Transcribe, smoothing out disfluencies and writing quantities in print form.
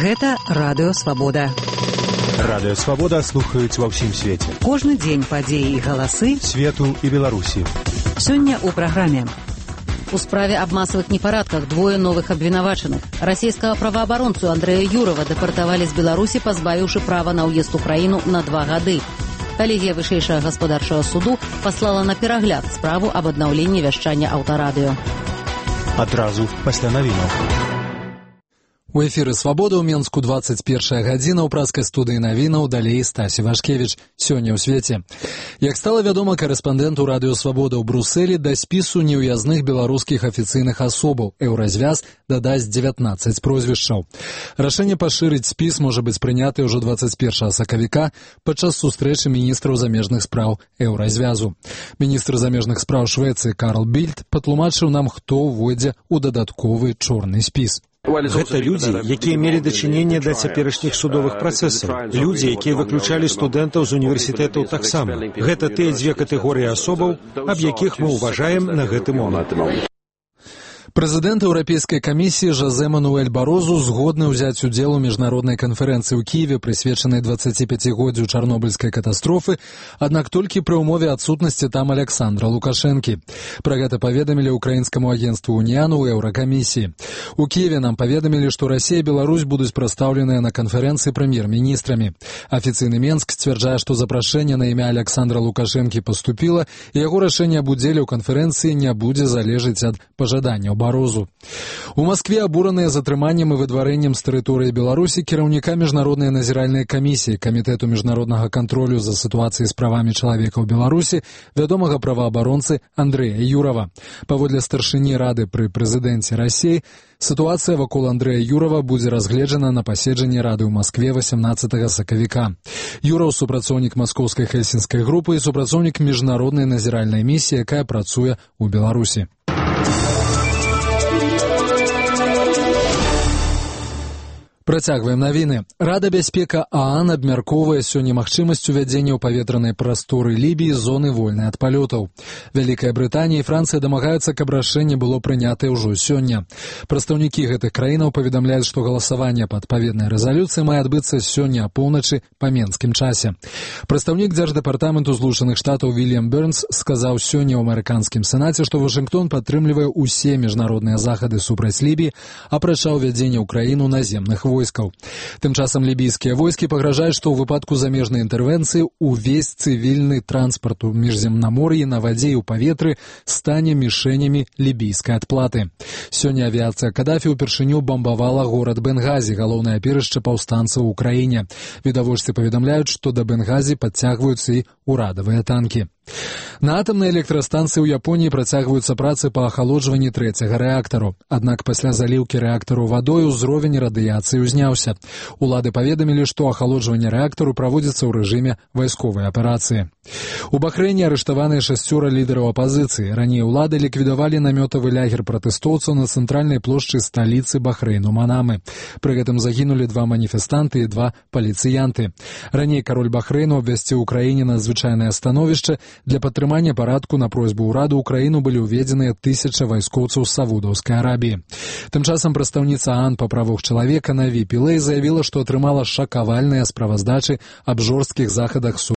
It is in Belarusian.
Гэта Радыё Свабода. Радыё Свабода слухаюць ва ўсім свеце. Кожны дзень падзеі і галасы свету і Беларусі. Сёння ў праграме. У справе аб масавых непарадках двое новых абвінавачаных. Расійскага праваабаронцу Андрэя Юрова дэпартавалі з Беларусі, пазбавіўшы права на ўезд у краіну на 2 гады. Калегія вышэйшага гаспадарчага суду паслала на перагляд справу аб аднаўленні вяшчання аўтарадыё. Адразу пасля навінаў. У эфіры «Свабода» ў Менску 21 гадзіна, ў праскай студыі навінаў далей Стасі Вашкевіч. Сёння ў свеце. Як стала вядома корэспандэнту Радыё Свабода ў Брусэлі, да спісу неўязных беларускіх афіцыйных асобаў «Еўразвяз» дадасць 19 прозвішчаў. Рашэнне пашырыць спіс можа быць прыняты ўжо 21 сакавіка падчас сустрэчы міністраў замежных спраў «Еўразвязу». Міністр замежных спраў Швецыі Карл Більд патлумачыў нам, хто ўвойдзе ў дадатковы чорны спіс. Гэта людзі, якія мелі дачыненне да цяперашніх судовых працэсаў. Людзі, якія выключалі студэнтаў з універсітэтаў таксама. Гэта тыя дзве катэгорыі асобаў, аб якіх мы ўважаем на гэты момант. Прэзідэнт Еўрапейскай камісіі Жозе Мануэль Барозу згодны ўзяць удзел у міжнароднай канферэнцыі ў Кіеве, прысвечанай 25-годдзю чарнобыльскай катастрофы, аднак толькі пры ўмове адсутнасці там Александра Лукашэнкі. Пра гэта паведамілі ўкраінскаму агенцтву «Уніяну» ў Еўракамісіі. У Кіеве нам паведамілі, што Расія і Беларусь будуць прадстаўленыя на канферэнцыі прэм'ер-міністрамі. Афіцыйны Менск сцвярджае, што запрашэнне на імя Александра Лукашэнкі паступіла, і яго рашэнне аб удзеле ў канферэнцыі не будзе залежыць ад пажаданняў Барозу. У Маскве абураныя затрыманнем і выдварэннем з тэрыторыі Беларусі кіраўніка міжнароднай назіральнай камісіі Камітэту міжнароднага кантролю за сітуацыяй з правамі чалавека ў Беларусі вядомага праваабаронцы Андрэя Юрова. Паводле старшыні рады пры прэзідэнце Расіі, сітуацыя вакол Андрэя Юрова будзе разгледжана на паседжанні рады ў Маскве 18 сакавіка. Юраў супрацоўнік маскоўскай хельсінскай групы і супрацоўнік міжнароднай назіральнай місіі, якая працуе ў Беларусі. Працягваем навіны. Рада бяспека ААН абмяркоўвае сёння магчымасць увядзення ў паветранай прасторы Лібіі зоны вольнай ад палётаў. Вялікая Брытанія і Францыя дамагаюцца, каб рашэнне было прынятае ўжо сёння. Прадстаўнікі гэтых краінаў паведамляюць, што галасаванне па адпаведнай рэзалюцыі мае адбыцца сёння апоўначы па менскім часе. Прадстаўнік дзярждэпартаменту Злучаных Штатаў Вільям Бернс сказаў сёння ў амерыканскім сенаце, што Вашынгтон падтрымлівае ўсе міжнародныя захады супраць Лібіі, апрача ўвядзення ў краіну наземных войскаў. Тым часам лібійскія войскі пагражаюць, што ў выпадку замежнай інтэрвенцыі увесь цывільны транспарт у міжземнамор'і на вадзе і ў паветры стане мішэнямі лібійскай адплаты. Сёння авіяцыя Кадафі ўпершыню бамбавала горад Бенгазі, галоўнае апірышча паўстанцаў у краіне. Відавочцы паведамляюць, што да Бенгазі падцягваюцца і ўрадавыя танкі. На атамнай электрастанцыі ў Японіі працягваюцца працы па ахалоджванні 3-го рэактару. Аднак пасля заліўкі рэактару вадой узровень радыяцыі ўзняўся. Улады паведамілі, што ахалоджванне рэактару праводзіцца ў рэжыме вайсковай аперацыі. У Бахрэйне арыштаваныя 6 лідараў апазіцыі. Раней улады ліквідавалі намётавы лягер пратэстоўцаў на цэнтральнай плошчы сталіцы Бахрэйну Манамы. Пры гэтым загінулі 2 маніфестанты і 2 паліцыянты. Раней кароль Бахрэйну абвясціў у краіне надзвычайнае становішча. Для падтрымання парадку на просьбу ўраду ў краіну былі ўведзеныя 1000 вайскоўцаў Саудаўскай Арабіі. Тым часам прадстаўніца ААН па правах чалавека Наві Пілэй заявіла, што атрымала шакавальныя справаздачы аб жорсткіх захадах